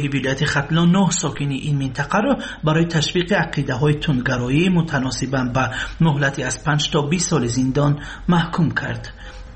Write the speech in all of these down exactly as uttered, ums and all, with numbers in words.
Додгоҳи вилояти Хатлон нӯҳ сокини ин минтақаро барои ташвиқи ақидаҳои тундгароӣ мутаносибан ба муҳлати аз панҷ то бист соли зиндон маҳкум кард.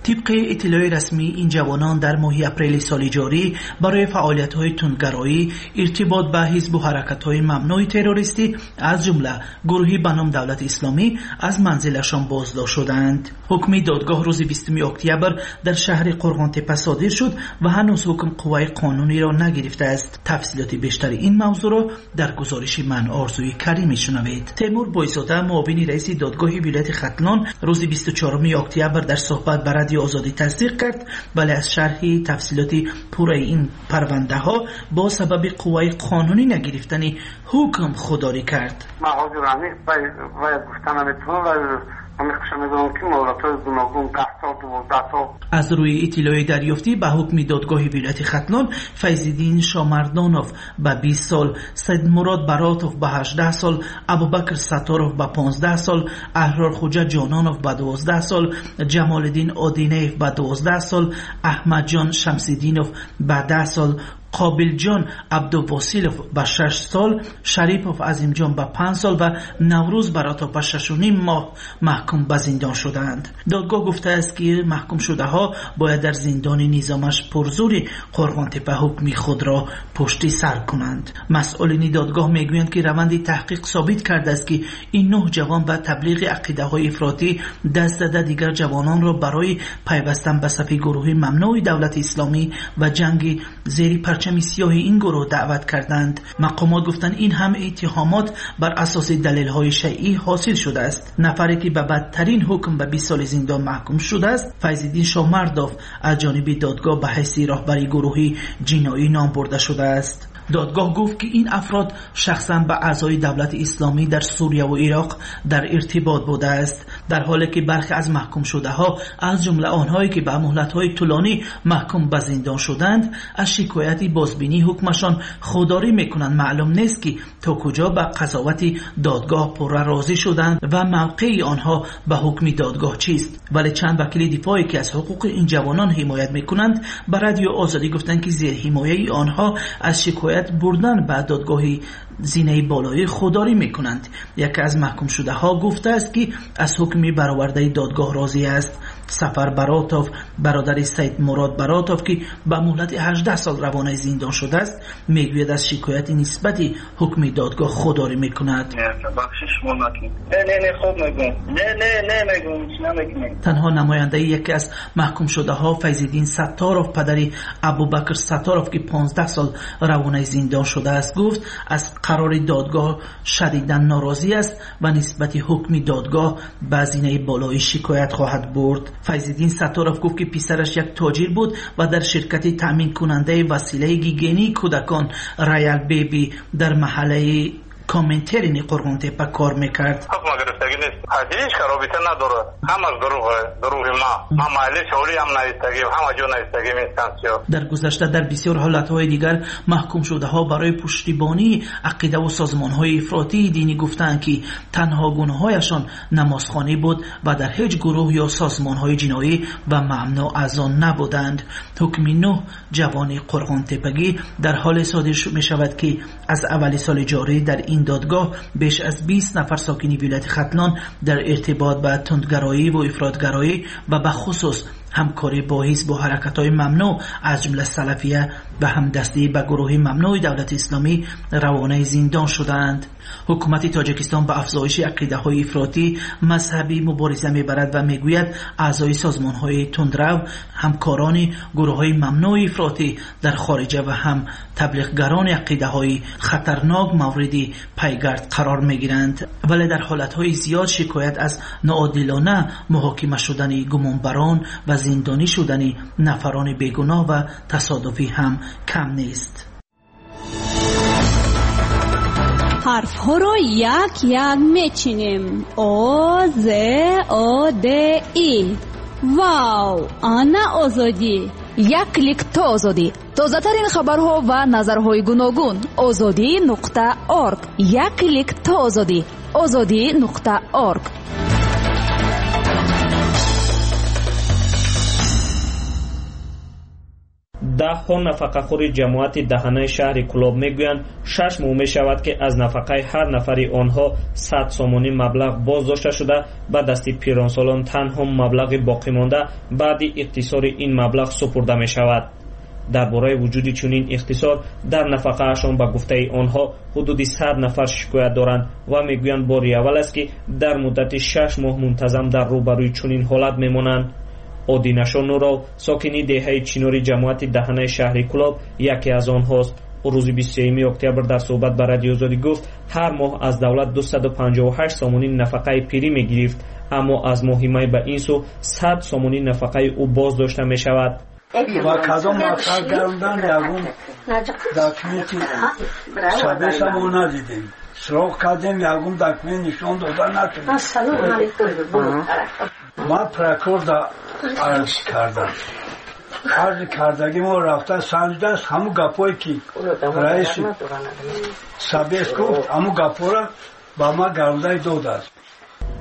Тибқи иттилои расмӣ, ин ҷавонон дар моҳи апрели соли ҷорӣ барои фаъолиятҳои тундгароӣ, иртибот ба ҳизбу ҳаракатҳои мамнӯи террористӣ, аз ҷумла гурӯҳи ба ном Давлати Исломӣ, аз манзилашон боздошт шуданд. Ҳукми додгоҳ рӯзи бистуми октябр дар шаҳри Қурғонтеппа содир шуд ва ҳанӯз ҳукм қувваи қонуниро нагирифтааст. Тафсилоти бештари ин мавзӯъро дар гузориши ман Орзуи Карим мешунавед. Темур Бойзода, муовини раиси додгоҳи вилояти Хатлон, рӯзи бисту чаҳоруми октябр дар суҳбат ба Радио Озодӣ тасдиқ кард, вале аз шарҳи тафсилоти пурраи ин парвандаҳо бо сабаби қувваи қонунӣ нагирифтани ҳукм худдорӣ кард. Ман ҳозир ҳамин бояд гуфта наметавонам, вале ҳамин хуша медонам, ки муҳлатҳои гуногун даҳ сол, дувоздаҳ сол. Аз рӯи иттилои дарёфтӣ ба ҳукми додгоҳи вилояти Хатлон, Файзиддин Шомардонов ба бист сол, Сайдмурод Баротов ба ҳаждаҳ сол, Абубакр Сатторов ба понздаҳ сол, Аҳрорхӯҷа Ҷононов ба дувоздаҳ сол, Ҷамолиддин Одинеев ба дувоздаҳ сол, Аҳмадҷон Шамсиддинов ба даҳ сол, Қобилҷон Абдувосилов ба шаш сол, Шарипов Азимҷон ба панҷ сол ва Наврӯз Баротов ба шашу ним моҳ маҳкум ба зиндон шудаанд. Додгоҳ гуфтааст, ки маҳкумшудаҳо бояд дар зиндони низомаш пурзури Қурғонтеппа ҳукми худро пушти сар кунанд. Масъулини додгоҳ мегӯянд, ки раванди таҳқиқ собит кардааст, ки ин нӯҳ ҷавон ба таблиғи ақидаҳои ифротӣ даст зада, дигар ҷавононро барои пайвастан ба сафи гурӯҳи мамнӯи Давлати Исломӣ ва ҷанги зери парчами сиёҳи ин гурӯҳ даъват карданд. Мақомот гуфтанд, ин ҳам иттиҳомот бар асоси далелҳои шайъӣ ҳосил шудааст. Нафаре ки ба бадтарин ҳукм ба бист соли зиндон маҳкум шудааст, Файзиддин Шомардов аз ҷониби додгоҳ ба ҳайси роҳбари гурӯҳи ҷиноӣ ном бурда шудааст. Додгоҳ гуфт, ки ин афрод шахсан ба аъзои Давлати Исломӣ дар Сурия ва Ироқ дар иртибот будааст, дар ҳоле ки бархе аз маҳкумшудаҳо, аз ҷумла онҳое ки ба муҳлатҳои тӯлонӣ маҳкум ба зиндон шуданд, аз шикояти бозбинии ҳукмашон худдорӣ мекунанд. Маълум нест, ки то куҷо ба қазовати додгоҳ пурра розӣ шуданд ва мавқеи онҳо ба ҳукми додгоҳ чист. Вале чанд вакили дифоъе ки аз ҳуқуқи ин ҷавонон ҳимоят мекунанд, ба Радио Озодӣ гуфтанд, ки зерҳимояи онҳо аз шикоят бурдан ба додгоҳи зинаи болоӣ худдорӣ мекунанд. Яке аз маҳкумшудаҳо гуфтааст, ки аз ҳукми баровардаи додгоҳ розӣ аст. Сафар Баротов, бародари Сайдмурод Баротов, ки ба муҳлати ҳаждаҳ сол равонаи зиндон шудааст, мегӯяд аз шикояти нисбати ҳукми додгоҳ худдорӣ мекунад. Танҳо намояндаи яке аз маҳкумшудаҳо, Файзиддин Сатторов, падари Абубакр Сатторов, ки понздаҳ сол равонаи зиндон шудааст, гуфт аз қарори додгоҳ шадидан норозӣ аст ва нисбати ҳукми додгоҳ ба зинаи болоӣ шикоят хоҳад бурд. Файзиддин Сатторов гуфт, ки писараш як тоҷир буд ва дар ширкати таъминкунандаи василаи гигиении кӯдакон Роял Беби дар маҳаллаи Коминтерни Қурғонтеппа кор мекард. Ҳукм гирифтагӣ нест. Ҳеҷ робита надорад. Ҳамаш дурӯғ, дурӯғи ма. Ма маҳалли шоли ҳам навиштагӣ, ҳама ҷо навиштагӣ инстансия. Дар гузашта дар бисёр ҳолатҳои дигар маҳкумшудаҳо барои пуштибонии ақида ва созмонҳои ифротии динӣ гуфтанд, ки танҳо гуноҳҳояшон намозхонӣ буд ва дар ҳеҷ гурӯҳ ё созмонҳои ҷиноӣ ва мамнӯъ аз он набуданд. Ҳукми нӯҳ ҷавони Қурғонтеппагӣ дар ҳоле содир мешавад, ки аз аввали соли ҷорӣ дар ин додгоҳ беш аз бист нафар сокини вилояти Хатлон дар иртибот ба тундгароӣ ва ифротгароӣ ва ба хусус ҳамкорӣ бо ҳизбу ҳаракатҳои мамнӯъ аз ҷумла салафия ва ҳамдастӣ ба гурӯҳи мамнӯи Давлати Исломӣ равонаи зиндон шудаанд. Ҳукумати Тоҷикистон ба афзоиши ақидаҳои ифротӣ мазҳабӣ мубориза мебарад ва мегӯяд аъзои созмонҳои тундрав, ҳамкорони гурӯҳҳои мамнӯи ифротӣ дар хориҷа ва ҳам таблиғгарони ақидаҳои хатарнок мавриди пайгард қарор мегиранд. Вале дар ҳолатҳои зиёд шикоят аз ноодилона муҳокима шудани гумонбарон ва зиндонӣ шудани нафарони бегуноҳ ва тасодуфӣ ҳам кам нест. Ҳарфҳоро як-як мечинем. О, З, О, Д, И. Вау! Ана Озодӣ! Як клик то Озодӣ. Тозатарин хабарҳо ва назарҳои гуногун. Озодӣ нуқта орг. Як клик то Озодӣ. Озодӣ нуқта орг. Даҳҳо нафақахӯри ҷамоати даҳанаи шаҳри Кӯлоб мегӯянд, шаш моҳ мешавад, ки аз нафақаи ҳар нафари онҳо сад сомонӣ маблағ боздошта шуда, ба дасти пиронсолон танҳо маблағи боқимонда баъди иқтисори ин маблағ супурда мешавад. Дар бораи вуҷуди чунин иқтисор дар нафақаашон ба гуфтаи онҳо ҳудуди сад нафар шикоят доранд ва мегӯянд бори аввал аст, ки дар муддати шаш моҳ мунтазам дар рӯбарӯи чунин ҳолат мемонанд. Одинашо Нуров, сокини деҳаи Чинори ҷамоати даҳанаи шаҳри Кӯлоб, яке аз онҳост. Ӯ рӯзи бисту сеюми октябр дар суҳбат ба Радиои Озодӣ гуфт, ҳар моҳ аз давлат дусаду панҷоҳу ҳашт сомонӣ нафақаи пирӣ мегирифт, аммо аз моҳи май ба ин сӯ сад сомонӣ нафақаи ӯ боздошта мешавад. Ва кадом мақсад гарондан ягон документи собеса мо надидем. Сироқ кардем, ягон документ нишон дода нашуд. Ман прокурорда арз кардам. Арзи кардагӣ мо рафта санҷидааст, ҳамун гапое ки раиси собес гуфт, ҳамун гапҳоро ба ман гарондаи додааст.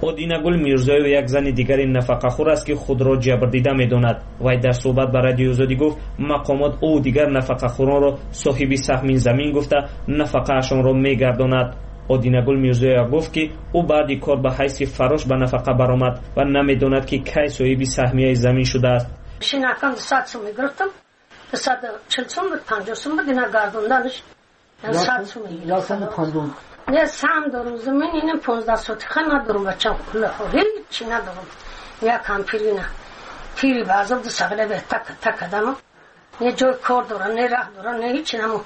Одинагул Мирзоева як зани дигари нафақахӯр аст, ки худро ҷабрдида медонад. Вай дар суҳбат ба Радиои Озодӣ гуфт, мақомот ӯ дигар нафақахӯронро соҳиби саҳми замин гуфта нафақаашонро мегардонад. Одинагул Мирзоева гуфт, ки ӯ баъди кор ба ҳайси фарош ба нафақа баромад ва намедонад, ки кай соҳиби саҳмияи замин шудааст. Шинакам дусад сум мегирифтам, дусаду чил сум буд, панҷоҳ сум буд, ина гардонданаш сад сум мегирифтам. Не сам дорум замин, ина понздаҳ сотиха надорум, бачам куллаҳо ҳеҷ надорум. Як ҳампирина пири ба азоб ду сағила бе так так кардам. Не ҷои кор дорам, не раҳ дорам, не ҳеҷ наму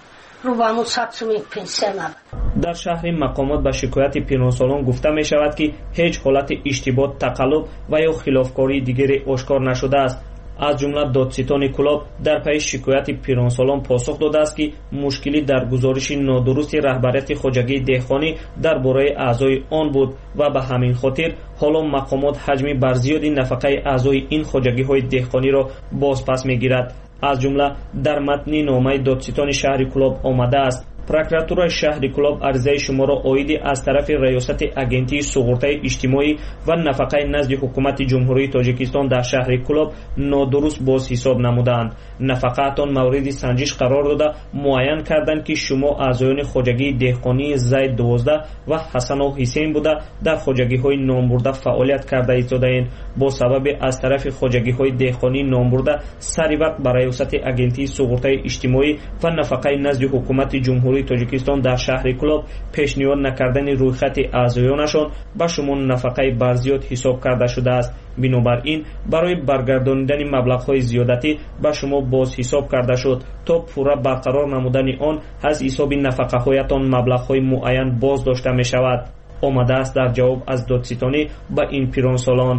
рӯ ба ҳамун сад суми пенсия набуд. Дар шаҳри мақомот ба шикояти пиронсолон гуфта мешавад, ки ҳеҷ ҳолати иштибоҳ, тақаллуб ва ё хилофкории дигаре ошкор нашудааст. Аз ҷумла додситони Кӯлоб дар пайи шикояти пиронсолон посух додааст, ки мушкилӣ дар гузориши нодурусти раҳбарияти хоҷагии деҳқонӣ дар бораи аъзои он буд ва ба ҳамин хотир ҳоло мақомот ҳаҷми барзиёди нафақаи аъзои ин хоҷагиҳои деҳқониро бозпас мегирад. Аз ҷумла дар матни номаи додситони шаҳри Кӯлоб омадааст: прокуратураи шаҳри Кӯлоб аризаи шуморо оиди аз тарафи раёсати агентии суғуртаи иҷтимоӣ ва нафақаи назди ҳукумати Ҷумҳурии Тоҷикистон дар шаҳри Кӯлоб нодуруст бозҳисоб намудаанд. Нафақаатон мавриди санҷиш қарор дода муайян карданд, ки шумо аъзоёни хоҷагии деҳқонии Зайд дувоздаҳ ва Ҳасанов Ҳусейн буда дар хоҷагиҳои номбурда фаъолият карда истодаед. Бо сабаби аз тарафи хоҷагиҳои деҳқонии номбурда сари вақт ба раёсати агентии суғуртаи иҷтимоӣ ва нафақаи назди ҳукумати Ҷумҳурии Тоҷикистон дар шаҳри Кӯлоб пешниҳод накардани рӯйхати аъзоёнашон ба шумо нафақаи барзиёд ҳисоб карда шудааст. Бинобар ин барои баргардонидани маблағҳои зиёдатӣ ба шумо бозҳисоб карда шуд то пурра барқарор намудани он аз ҳисоби нафақаҳоятон маблағҳои муайян боздошта мешавад. Омадааст дар ҷавоб аз додситонӣ ба ин пиронсолон.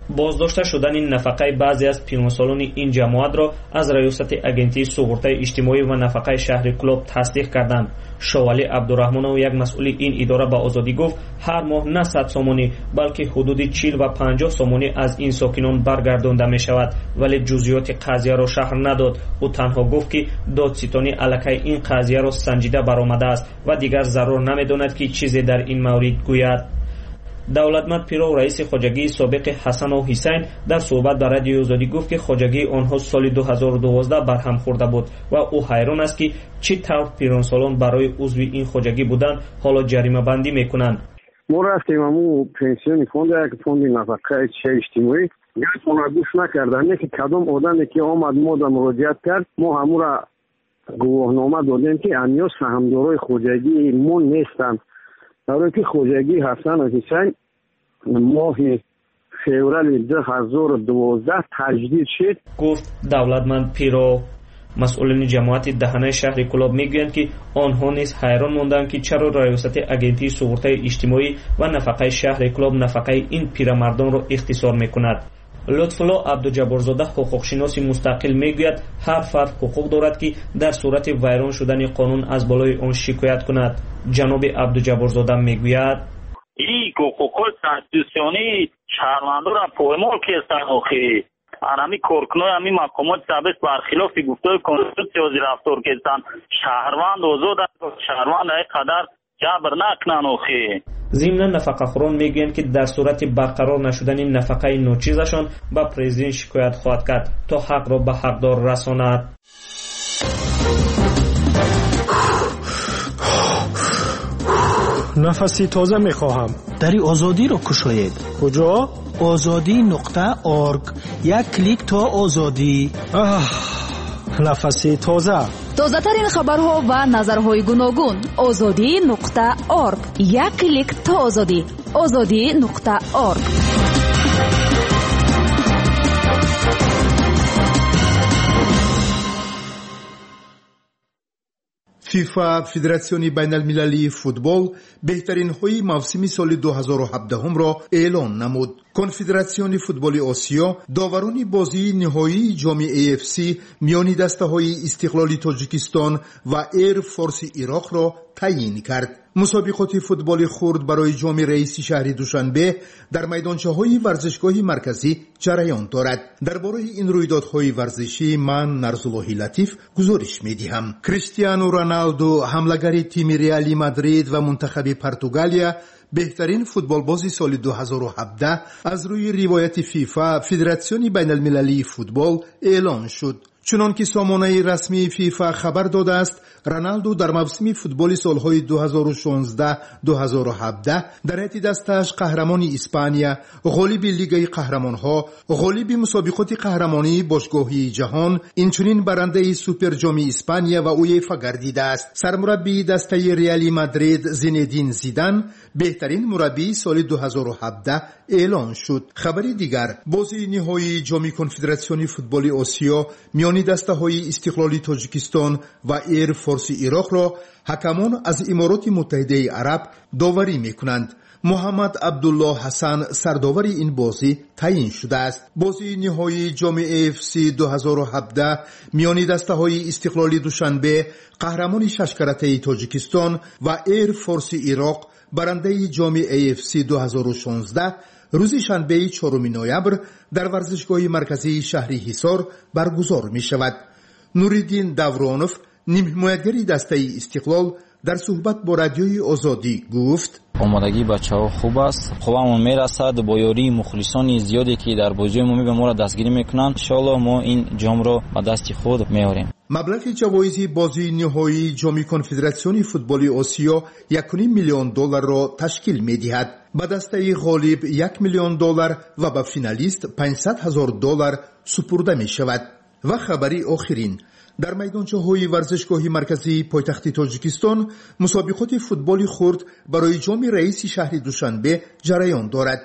Боздошта шудани нафақаи баъзе аз пиронсолони ин ҷамоатро аз раёсати агентии суғуртаи иҷтимоӣ ва нафақаи шаҳри Кӯлоб тасдиқ карданд. Шовалӣ Абдураҳмонов, як масъули ин идора, ба Озодӣ гуфт, ҳар моҳ на сад сомонӣ, балки ҳудуди чил ва панҷоҳ сомонӣ аз ин сокинон баргардонда мешавад, вале ҷузъиёти қазияро шарҳ надод. Ӯ танҳо гуфт, ки додситонӣ аллакай ин қазияро санҷида баромадааст ва дигар зарур намедонад, ки чизе дар ин маврид гӯяд. Давлатмад Пиров, раиси хоҷагии собиқи Ҳасанов Ҳусайн, дар суҳбат ба Радиои Озодӣ гуфт, ки хоҷагии онҳо соли ду ҳазору дувоздаҳ барҳам хӯрда буд ва ӯ ҳайрон аст, ки чӣ тавр пиронсолон барои узви ин хоҷагӣ будан ҳоло ҷаримабандӣ мекунанд. Мо рафтем ҳамун пенсиони фонд, як фонди нафақаи иҷтимоӣ, гапонро гӯш накарданд, не ки кадом одаме ки омад мода муроҷиат кард, мо ҳамура гувоҳнома додем, ки амиё саҳмдорои хоҷагии мо нестанд. Барои ки хоҷагии Ҳасанов Ҳусайн моҳи феврали ду ҳазору дувоздаҳ таҷдид шуд, гуфт Давлатманд Пиров. Масъулини ҷамоати даҳанаи шаҳри Кӯлоб мегӯянд, ки онҳо низ ҳайрон монданд, ки чаро раёсати агентии суғуртаи иҷтимоӣ ва нафақаи шаҳри Кӯлоб нафақаи ин пирамардонро ихтисор мекунад. Лутфулло Абдуҷабборзода, ҳуқуқшиноси мустақил, мегӯяд, ҳар фард ҳуқуқ дорад, ки дар сурати вайрон шудани қонун аз болои он шикоят кунад. Ҷаноби Абдуҷабборзода мегӯяд: ин ҳуқуқҳои конститутсионии шаҳрвандонро поймол карданд. Охи ҳамин коркунои ҳамин мақомоти собес бархилофи гуфтаҳои конститутсия ҳозир рафтор карданд. Шаҳрванд озод аст, шаҳрванд ай қадар ҷабр накунанд. Охи зимнан нафақахӯрон мегӯянд, ки дар сурати барқарор нашудани нафақаи ночизашон ба президент шикоят хоҳад кард, то ҳақро ба ҳақдор расонад. Нафаси тоза мехоҳам. Дари озодиро кушоед. Куҷо? Озодӣ нуқта орг. Як клик то озодӣ. Аҳ, нафаси тоза. Тозатарин хабарҳо ва назарҳои гуногун. Озодӣ нуқта орг. Як клик то озодӣ. Озодӣ нуқта орг. ФИФА, Федератсиони байналмилалии футбол, беҳтаринҳои мавсими соли ду ҳазору ҳабдаҳумро эълон намуд. Конфедератсиони футболи Осиё доварони бозии ниҳоии ҷоми A F C миёни дастаҳои Истиқлоли Тоҷикистон ва Эйр Форси Ироқро таъйин кард. Мусобиқоти футболи хурд барои ҷоми раиси шаҳри Душанбе дар майдончаҳои варзишгоҳи марказӣ ҷараён дорад. Дар бораи ин рӯйдодҳои варзишӣ ман, Нарзуллоҳи Латиф, гузориш медиҳам. Криштиану Роналду, ҳамлагари тими Реали Мадрид ва мунтахаби Португалия, беҳтарин футболбози соли ду ҳазору ҳабдаҳ аз рӯи ривояти ФИФА, Федератсиони байналмилалии футбол, эълон шуд. Чунон ки сомонаи расмии ФИФА хабар додааст, Роналду дар мавсими футболи солҳои ду ҳазору шонздаҳ-ду ҳазору ҳабдаҳ дар ҳайати дастааш қаҳрамони Испания, ғолиби Лигаи қаҳрамонҳо, ғолиби мусобиқоти қаҳрамонии бошгоҳии ҷаҳон, инчунин барандаи Суперҷоми Испания ва УЕФА гардидааст. Сармураббии дастаи Реали Мадрид Зинедин Зидан беҳтарин мураббии соли ду ҳазору ҳабдаҳ эълон шуд. Хабари дигар: бозии ниҳоии ҷоми Конфедератсиони футболи Осиё миёни дастаҳои Истиқлоли Тоҷикистон ва Эйр Форси Ироқро ҳакамон аз Имороти Муттаҳидаи Араб доварӣ мекунанд. Муҳаммад Абдуллоҳ Ҳасан сардовари ин бозӣ таъйин шудааст. Бозии ниҳоии ҷоми A F C ду ҳазору ҳабдаҳ миёни дастаҳои Истиқлоли Душанбе, қаҳрамони шашкаратаи Тоҷикистон, ва Эйр Форси Ироқ, барандаи ҷоми A F C ду ҳазору шонздаҳ, рӯзи шанбеи чоруми ноябр дар варзишгоҳи марказии шаҳри Ҳисор баргузор мешавад. Нуриддин Давронов, нимҳимоятгари дастаи Истиқлол, дар суҳбат бо Радиои Озодӣ гуфт: Омодагии бачаҳо хуб аст, қуввамон мерасад. Бо ёрии мухлисони зиёде, ки дар бозиҳои мо моро дастгирӣ мекунанд, иншоаллоҳ, мо ин ҷомро ба дасти худ меорем. Маблағи ҷавоизи бозии ниҳоии ҷоми Конфедератсиони футболи Осиё якуним миллион долларро ташкил медиҳад. Ба дастаи ғолиб як миллион доллар ва ба финалист панҷсад ҳазор доллар супурда мешавад. Ва хабари охирин: дар майдончаҳои варзишгоҳи марказии пойтахти Тоҷикистон мусобиқоти футболи хурд барои ҷоми раиси шаҳри Душанбе ҷараён дорад.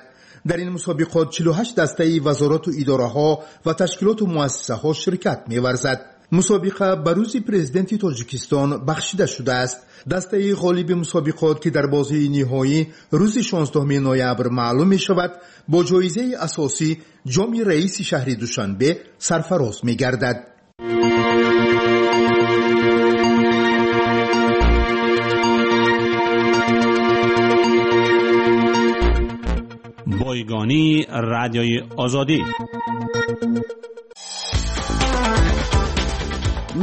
Дар ин мусобиқот чилу ҳашт дастаи вазорату идораҳо ва ташкилоту муассисаҳо ширкат меварзад. Мусобиқа ба рӯзи президенти Тоҷикистон бахшида шудааст. Дастаи ғолиби мусобиқот, ки дар бозии ниҳоӣ рӯзи шонздаҳуми ноябр маълум мешавад, бо ҷоизаи асосӣ, ҷоми раиси шаҳри Душанбе, сарфароз мегардад. Бойгонии Радиои Озодӣ.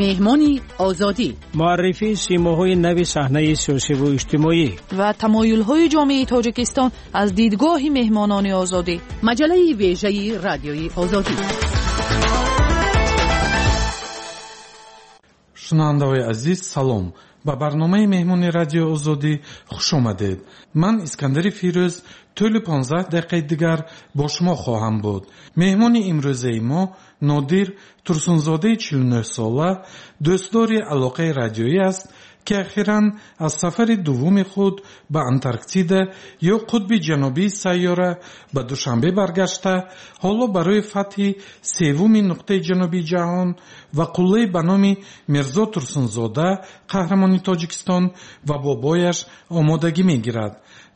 Меҳмони Озодӣ. Муаррифии симоҳои нави саҳнаи сиёсиву иҷтимоӣ ва тамоюлҳои ҷомеаи Тоҷикистон аз дидгоҳи меҳмонони Озодӣ. Маҷаллаи вежаи Радиои Озодӣ. Шунавандаҳои азиз, салом! Ба барномаи меҳмони Радиои Озодӣ хуш омадед. Ман, Искандари Фирӯз, тӯли понздаҳ дақиқаи дигар бо шумо хоҳам буд. Меҳмони имрӯзаи мо Нодир Турсунзодаи чилу нӯҳсола, дӯстдори алоқаи радиоӣ аст, ки ахиран аз сафари дуввуми худ ба Антарктида ё қутби ҷанубии сайёра ба Душанбе баргашта, ҳоло барои фатҳи севуми нуқтаи ҷанубии ҷаҳон ва қуллаи ба номи Мирзо Турсунзода, қаҳрамони Тоҷикистон, ва бобояш омодагӣ мегирад.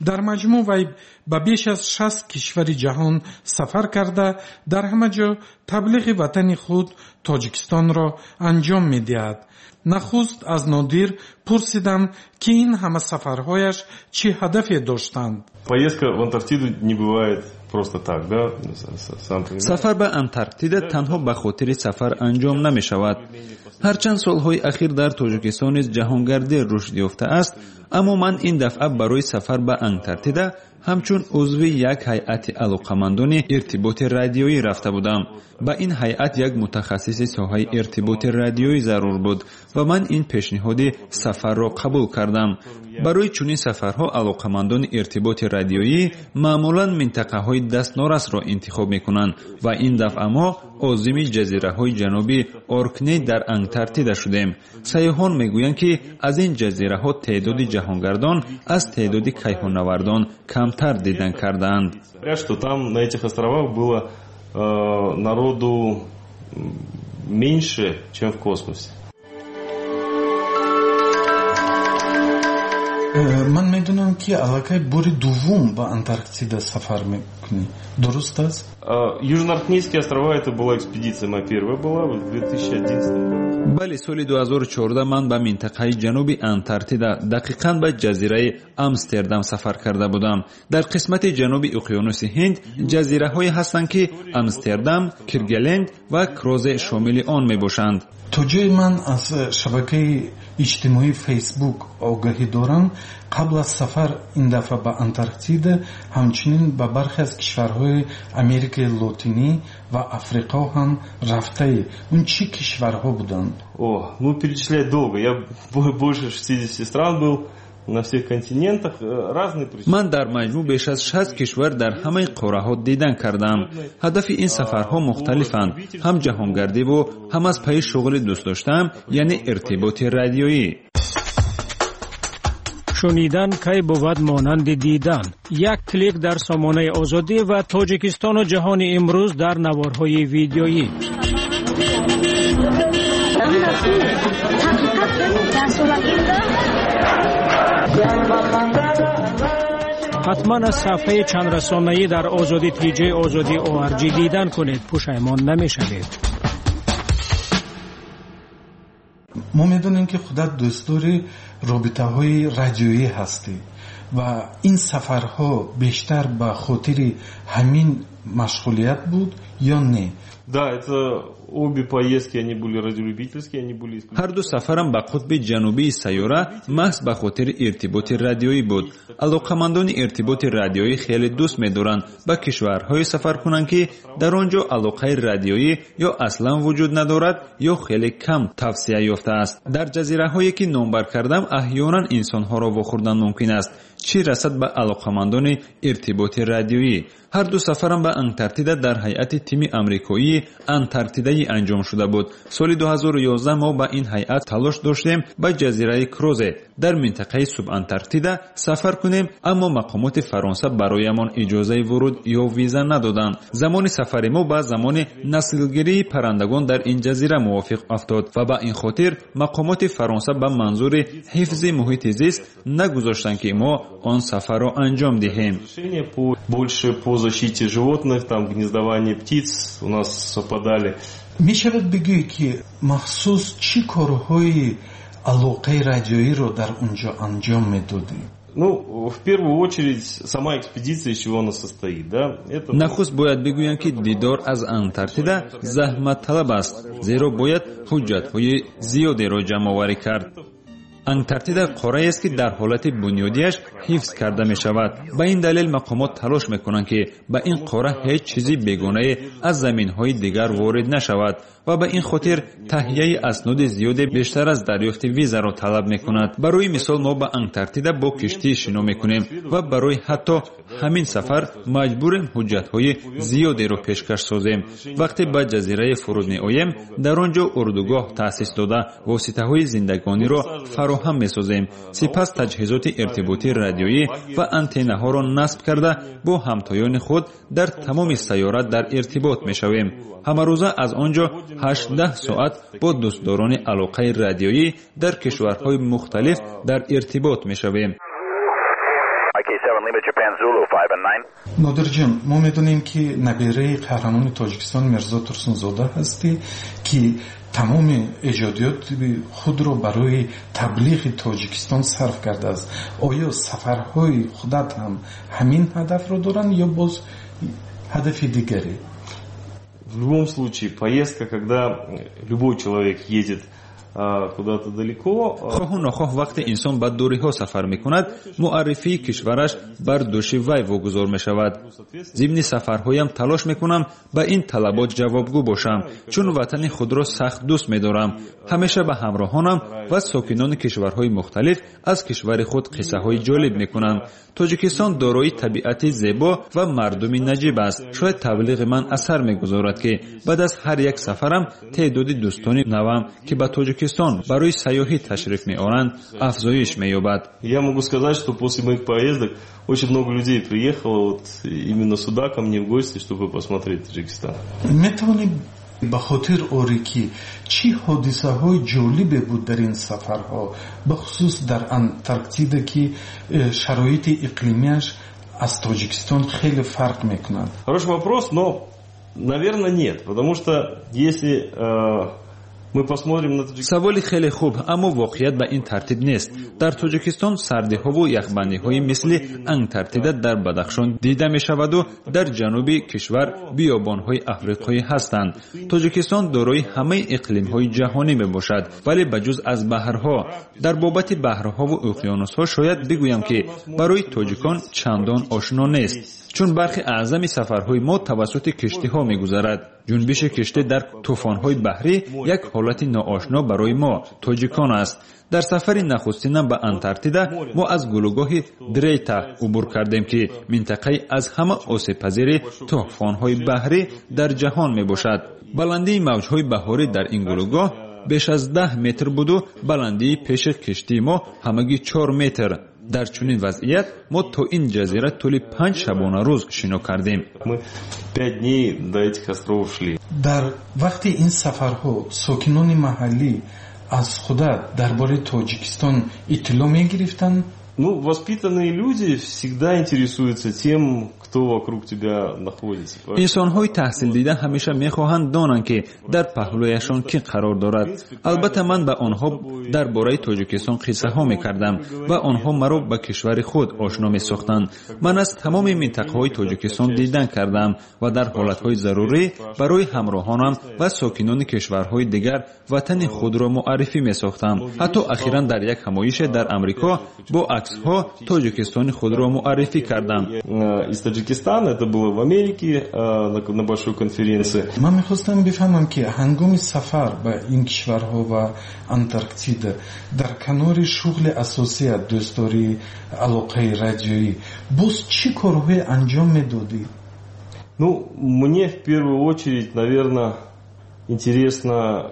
Дар маҷмӯъ вай ба беш аз шаст кишвари ҷаҳон сафар карда, дар ҳама ҷо таблиғи ватани худ Тоҷикистонро анҷом медиҳад. Нахуст аз Нодир пурсидам, ки ин ҳама сафарҳояш чӣ ҳадафе доштанд. Поездка в Антарктиду не бывает просто так, да? Сам понимаешь. Сафар ба Антарктида танҳо ба хотири сафар анҷом намешавад. Ҳарчанд солҳои ахир дар Тоҷикистон низ ҷаҳонгардӣ рушд ёфтааст, Аммо ман ин дафъа барои сафар ба Антарктида ҳамчун узви як ҳайати алоқамандони иртиботи радиоӣ рафта будам. Ба ин ҳайат як мутахассиси соҳаи иртиботи радиоӣ зарур буд ва ман ин пешниҳоди сафарро қабул кардам. Барои чунин сафарҳо алоқамандони иртиботи радиоӣ маъмулан минтақаҳои дастнорасро интихоб мекунанд ва ин дафъа мо озими ҷазираҳои ҷануби Оркней дар Антарктида шудем. Сайёҳон мегӯянд, ки аз ин ҷазираҳо теъдоди ҷаҳонгардон аз теъдоди кайҳоннавардон камтар дидан кардаанд. Что там на этих островах было э, народу меньше, чем в космосе. Ман медонам, ки аллакай бори дуввум ба Антарктида сафар мекунӣ. Дуруст аст? Южноаркнейские острова — это была экспедиция моя первая была в две тысячи одиннадцатом. Бале, соли ду ҳазору чордаҳ ман ба минтақаи ҷануби Антарктида, дақиқан ба ҷазираи Амстердам сафар карда будам. Дар қисмати ҷануби уқёнуси Ҳинд ҷазираҳое ҳастанд, ки Амстердам, Киргеленд ва Крозе шомили он мебошанд. То ҷое ман аз шабакаи иҷтимоии Фейсбук огаҳӣ дорам, қабл аз сафар ин дафъа ба Антарктида ҳамчунин ба бархе аз кишварҳои Америкаи Лотинӣ ва Африқо ҳам рафтаӣ. Он чӣ кишварҳо буданд? О, ну перечислять долго. Я больше шестидесяти стран был, на всех континентах, разные причины. Ман дар маҷмӯъ беш аз шаст кишвар дар ҳамаи қораҳо дидан кардам. Ҳадафи ин сафарҳо мухталифанд, ҳам ҷаҳонгардиву ҳам аз пайи шуғли дӯст доштаам, яъне иртиботи радиоӣ. Шунидан кай бувад монанди дидан. Як клик дар сомонаи Озодӣ ва Тоҷикистону ҷаҳони имрӯз дар наворҳои видеоӣ. Ҳатман аз саҳфаи чандрасонаӣ дар Озодӣ тиҷи Озодӣ о ар ҷи дидан кунед, пушаймон намешавед. Мо медонем, ки худат дӯстдори робитаҳои радиоӣ ҳастӣ ва ин сафарҳо бештар ба хотири ҳамин машғулият буд ё не? Да, это обе поездки, они были радиолюбительские, они были Ҳар ду сафарам ба қутби ҷанубии сайёра маҳз ба хотири иртиботи радиоӣ буд. Алоқамандони иртиботи радиоӣ хеле дӯст медоранд ба кишварҳое сафар кунанд, ки дар он ҷо алоқаи радиоӣ ё аслан вуҷуд надорад, ё хеле кам тавсия ёфтааст. Дар ҷазираҳое, ки номбар кардам, аҳёнан инсонҳоро вохӯрдан мумкин аст, чӣ расад ба алоқамандони иртиботи радиоӣ. Ҳар ду сафарам ба Антарктида дар ҳайати тими амрикоии антарктидаӣ анҷом шуда буд. Соли ду ҳазору ёздаҳ мо ба ин ҳайат талош доштем ба ҷазираи Крозе дар минтақаи субантарктида сафар кунем, аммо мақомоти Фаронса бароямон иҷозаи вуруд ё виза надоданд. Замони сафари мо ба замони наслгирии паррандагон дар ин ҷазира мувофиқ афтод ва ба ин хотир мақомоти Фаронса ба манзури ҳифзи муҳити зист нагузоштанд, ки мо он сафарро анҷом диҳем. Больше по защите животных, там гнездование птиц у нас совпадали. Мешавад бигӯӣ, ки махсус чӣ корҳои алоқаи радиоиро дар он ҷо анҷом медодӣ? Ну, в первую очередь, сама экспедиция, из чего она состоит, да? Это... Нахуст бояд бигӯям, ки дидор аз Антарктида заҳматталаб аст, зеро бояд ҳуҷҷатҳои зиёдеро ҷамъоварӣ кард. Антарктида қораест, ки дар ҳолати бунёдиаш ҳифз карда мешавад. Ба ин далел мақомот талош мекунанд, ки ба ин қора ҳеҷ чизи бегонае аз заминҳои дигар ворид нашавад ва ба ин хотир таҳияи асноди зиёде бештар аз дарёфти визаро талаб мекунад. Барои мисол, мо ба Антарктида бо киштӣ шино мекунем ва барои ҳатто ҳамин сафар маҷбурем ҳуҷҷатҳои зиёдеро пешкаш созем. Вақте ба ҷазирае фуруд меоем, дар он ҷо урдугоҳ таъсис дода, воситаҳои зиндагониро фароҳам месозем. Сипас таҷҳизоти иртиботии радиоӣ ва антеннаҳоро насб карда, бо ҳамтоёни худ дар тамоми сайёра дар иртибот мешавем. Ҳамарӯза аз он ҷо ҳаштдаҳ соат бо дӯстдорони алоқаи радиоӣ дар кишварҳои мухталиф дар иртибот мешавем. Нодирҷон, мо медонем, ки набираи қаҳрамони Тоҷикистон Мирзо Турсунзода ҳастӣ, ки тамоми эҷодиёти худро барои таблиғи Тоҷикистон сарф кардааст. Оё сафарҳои худат ҳам ҳамин ҳадафро доранд ё боз ҳадафи дигаре? В любом случае, поездка, когда любой человек едет куда-то далеко. Хоҳу нохоҳ вақте инсон ба дуриҳо сафар мекунад, муаррифии кишвараш бар дӯши вай вогузор мешавад. Зимни сафарҳоям талош мекунам ба ин талабот ҷавобгӯ бошам, чун ватани худро сахт дӯст медорам. Ҳамеша ба ҳамроҳонам ва сокинони кишварҳои мухталиф аз кишвари худ қиссаҳои ҷолиб мекунам. Тоҷикистон дорои табиати зебо ва мардуми наҷиб аст. Шояд таблиғи ман асар мегузорад, ки баъд аз ҳар як сафарам теъдоди дӯстони навам, ки ба Тоҷикистон барои сайёҳӣ ташриф меоранд, афзоиш меёбад. Я могу сказать, что после моих поездок очень много людей приехало вот именно сюда ко мне в гости, чтобы посмотреть Таджикистан. Метавонӣ ба хотир орӣ, ки чӣ ҳодисаҳои ҷолибе буд дар ин сафарҳо, бахусус дар Антарктида, ки э, шароити иқлимиаш аз Тоҷикистон хеле фарқ мекунад? Хороший вопрос, но, наверное, нет, потому что если э, мы посмотрим на Таджикистан. Саволи хеле хуб, аммо воқеият ба ин тартиб нест. Дар Тоҷикистон сардиҳову яхбандиҳои мисли Антарктида дар Бадахшон дида мешаваду дар ҷануби кишвар биёбонҳои африқоӣ ҳастанд. Тоҷикистон дорои ҳамаи иқлимҳои ҷаҳонӣ мебошад, вале ба ҷуз аз баҳрҳо. Дар бобати баҳрҳову уқёнусҳо шояд бигӯям, ки барои тоҷикон чандон ошно нест, чун бархи аъзами сафарҳои мо тавассути киштиҳо мегузарад. Ҷунбиши киштӣ дар тӯфонҳои баҳрӣ як ҳолати ноошно барои мо тоҷикон аст. Дар сафари нахустинам ба Антарктида мо аз гулӯгоҳи Дрейта убур кардем, ки минтақаи аз ҳама осебпазири тӯфонҳои баҳрӣ дар ҷаҳон мебошад. Баландии мавҷҳои баҳорӣ дар ин гулӯгоҳ беш аз даҳ метр буду баландии пеши киштии мо ҳамагӣ чор метр. Дар чунин вазъият мо то ин ҷазира тӯли панҷ шабонарӯз шино кардем. Мы пять дней до этих островов шли. Дар вақти ин сафарҳо сокинони маҳаллӣ аз худат дар бораи Тоҷикистон иттилоъ мегирифтанд? Ну, воспитанные люди всегда интересуются тем, кто вокруг тебя находится. Инсонҳои таҳсилдида ҳамеша мехоҳанд донанд, ки дар паҳлӯяшон кӣ қарор дорад. Албатта, ман ба онҳо дар бораи Тоҷикистон қиссаҳо мекардам ва онҳо маро ба кишвари худ ошно месохтанд. Ман аз тамоми минтақаҳои Тоҷикистон дидан кардам ва дар ҳолатҳои зарурӣ барои ҳамроҳонам ва сокинони кишварҳои дигар ватани худро муаррифӣ месохтам. Ҳатто ахиран дар як ҳамоише дар Амрико бо аксҳо Тоҷикистони худро муаррифӣ кардам. Из Таджикистана, это было в Америке на большой конференции. Ман мехостам бифаҳмам, ки ҳангоми сафар ба ин кишварҳо ва Антарктида дар канори шуғли асосият, дӯстдории алоқаи радиоӣ, боз чӣ корҳое анҷом медодӣ? Ну, мне в первую очередь, наверное, интересно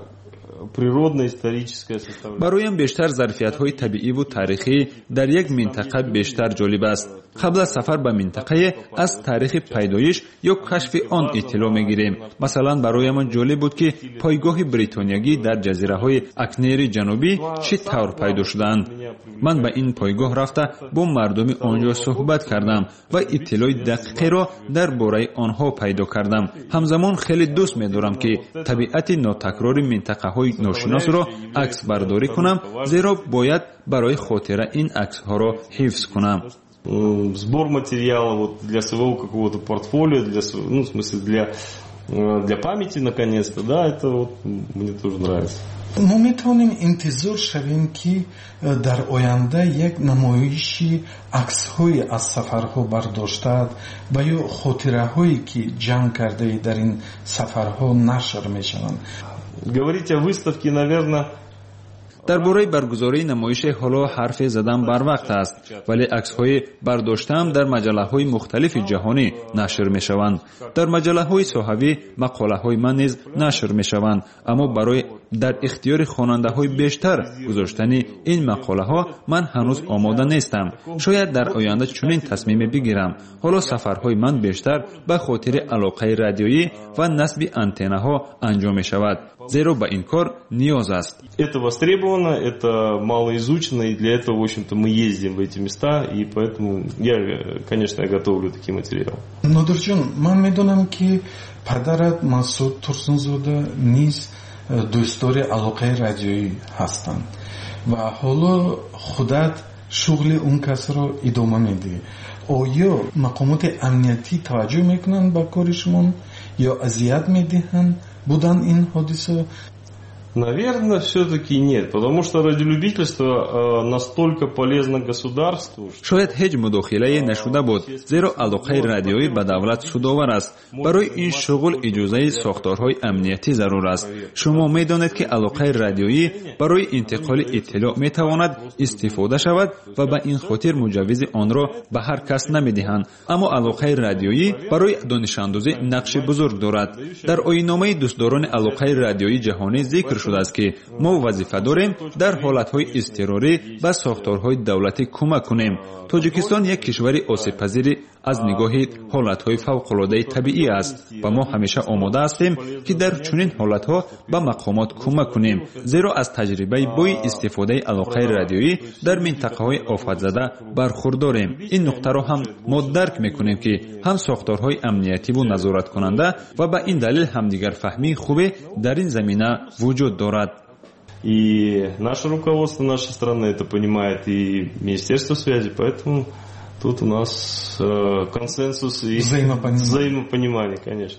природно-историческая составляющая. Бароям бештар зарфиятҳои табииву таърихӣ дар як минтақа бештар ҷолиб аст. Қабл аз сафар ба минтақае аз таърихи пайдоиш ё кашфи он иттилоъ мегирем. Масалан, бароямон ҷолиб буд, ки пойгоҳи бритониягӣ дар ҷазираҳои Акнери Ҷанубӣ чӣ тавр пайдо шудаанд. Ман ба ин пойгоҳ рафта бо мардуми он ҷо суҳбат кардам ва иттилои дақиқеро дар бораи онҳо пайдо кардам. Ҳамзамон хеле дӯст медорам, ки табиати нотакрори минтақаҳои ношиносро аксбардорӣ кунам, зеро бояд барои хотира ин аксҳоро ҳифз кунам. Сбор материала вот для своего какого-то портфолио, для, ну, в смысле, для, для памяти, наконец-то, да, это вот мне тоже нравится. Мо метавонем интизор шавем, ки дар оянда як намоиши аксҳои аз сафарҳо бардоштаат ва ё хотираҳое, ки ҷамъ кардаи дар ин сафарҳо, нашр мешаванд? Говорить о выставке, наверное, Дар бораи баргузории намоише ҳоло ҳарфе задан барвақт аст, вале аксҳои бардоштаам дар маҷаллаҳои мухталифи ҷаҳонӣ нашр мешаванд. Дар маҷаллаҳои соҳавӣ мақолаҳои ман низ нашр мешаванд, аммо барои дар ихтиёри хонандаҳои бештар гузоштани ин мақолаҳо ман ҳанӯз омода нестам. Шояд дар оянда чунин тасмиме бигирам. Ҳоло сафарҳои ман бештар ба хотири алоқаи радиоӣ ва насби антеннаҳо анҷом мешавад, зеро ба ин кор ниёз аст. Это востребовано, это мало изучено, и для этого, в общем-то, мы ездим в эти места, и поэтому я, конечно, я готовлю такие материалы. Нодирҷон, ман медонам, ки падарат Масуд Турсунзода низ дӯстдори алоқаи радиоӣ ҳастанд ва ҳоло худат шуғли он касро идома медиҳӣ. Оё мақомоти амниятӣ таваҷҷӯҳ мекунанд ба кори шумо ё азият медиҳанд? Буданд ин ҳодиса? Наверное, все-таки нет, потому что радиолюбительство настолько полезно государству. Шояд ҳеҷ мудохилае нашуда буд, зеро алоқаи радиоӣ ба давлат судовар аст. Барои ин шуғл иҷозаи сохторҳои амниятӣ зарур аст. Шумо медонед, ки алоқаи радиоӣ барои интиқоли иттилоъ метавонад истифода шавад ва ба ин хотир муҷаввизи онро ба ҳар кас намедиҳанд. Аммо алоқаи радиоӣ барои донишандозӣ нақши бузург дорад. Дар оинномаи дӯстдорони алоқаи радиоии ҷаҳонӣ зикр шудааст, ки мо вазифа дорем дар ҳолатҳои изтирорӣ ба сохторҳои давлатӣ кӯмак кунем. Тоҷикистон як кишвари осебпазири аз нигоҳи ҳолатҳои фавқулодаи табиӣ аст ва мо ҳамеша омода ҳастем, ки дар чунин ҳолатҳо ба мақомот кӯмак кунем, зеро аз таҷрибаи бои истифодаи алоқаи радиоӣ дар минтақаҳои офатзада бархурдорем. Ин нуқтаро ҳам мо дарк мекунем, ки ҳам сохторҳои амниятиву назораткунанда ва ба ин далел ҳамдигарфаҳмии хубе дар ин замина вуҷуд дорад. И наше руководство нашей страны это понимает, и Министерство связи, поэтому тут у нас э, консенсус и взаимопонимание. взаимопонимание, конечно.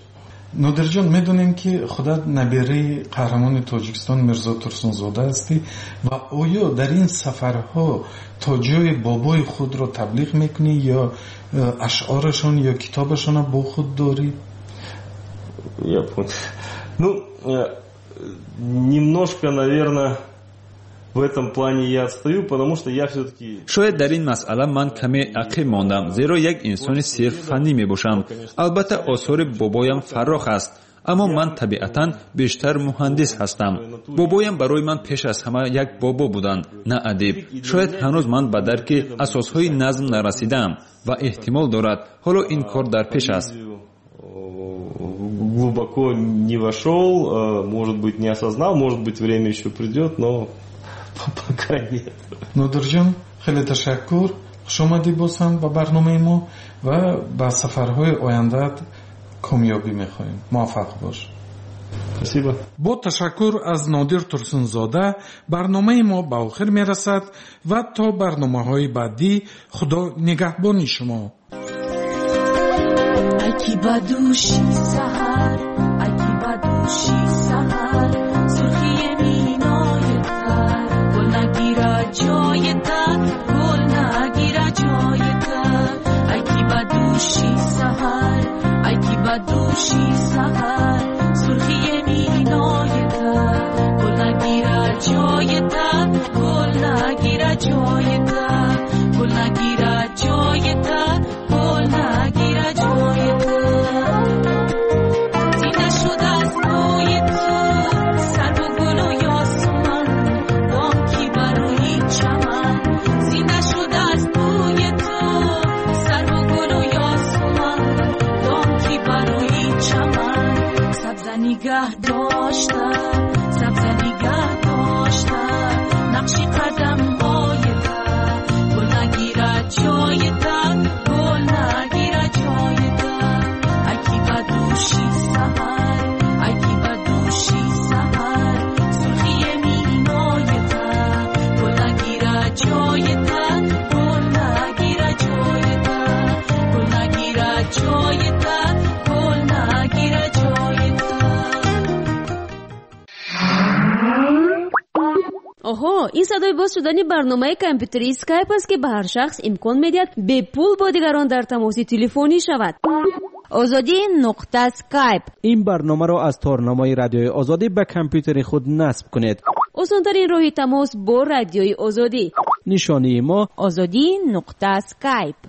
Нодирҷон, медонем, ки худат набираи қаҳрамони Тоҷикистон Мирзо Турсунзода ҳастӣ ва оё дар ин сафарҳо то ҷои бобои худро таблиғ мекунӣ ё ашъорашон ё китобашонро бо худ дорӣ? Я понял. Ну, немножко, наверное, в этом плане я отстаю, потому что я все-таки... Шояд дар ин масъала ман каме ақиб мондам, зеро як инсони сирф фаннӣ мебошам. Албатта, осори бобоям фаррох аст, аммо ман табиатан бештар муҳандис ҳастам. Бобоям барои ман пеш аз ҳама як бобо буданд, на адиб. Шояд ҳанӯз ман ба дарки асосҳои назм нарасидаам ва эҳтимол дорад ҳоло ин кор дар пеш аст. Глубоко не вошел, может быть, не осознал, может быть, время еще придет, но пока нет. Нодирҷон, хеле ташаккур. Хуш омадӣ боз ҳам ба барномаи мо ва ба сафарҳои ояндаат комёбӣ мехоҳем. Муваффақ бош. Спасибо. Бо ташаккур аз Нодир Турсунзода барномаи мо ба охир мерасад ва то барномаҳои баъдӣ Худо нигаҳбони шумо. Ай ки ба дӯши саҳар, ай ки ба дӯши саҳар, сурхии минои тар, гул нагирад ҷои тар, гул нагирад ҷои тар. Ай ки ба дӯши саҳар, ай ки ба дӯши саҳар, сурхии минои тар, гул нагирад ҷои тар, гул нагирад ҷои тар, гул нагирад ҷои тар, гул нагирад ҷои тар. Зинда шуд аз бӯи ту сарву гулу ёсуман, бонки бар рӯи чаман. Зинда шуд аз бӯи ту сарву гулу ёсуман, бонки бар рӯи чаман. Сабза нигаҳ дошта, сабза нигаҳ дошта, нақши қадамҳои тар, гул нагирад ҷои тар, гул нагирад ҷои тар. Ай ки ба дӯши саҳар, ай ки ба дӯши саҳар, сурхии минои тар, гул нагирад ҷои тар, гул нагирад ҷои тар, гул нагирад ҷои тар, гул нагирад ҷои тар. Оҳо, ин садои боз шудани барномаи компютерии Skype аст, ки ба ҳар шахс имкон медиҳад бепул бо дигарон дар тамоси телефонӣ шавад. Озодӣ нуқта Skype. Ин барномаро аз торнамои Радиои Озодӣ ба компютери худ насб кунед. Осонтарин роҳи тамос бо Радиои Озодӣ. Нишонии мо Озодӣ нуқта Skype.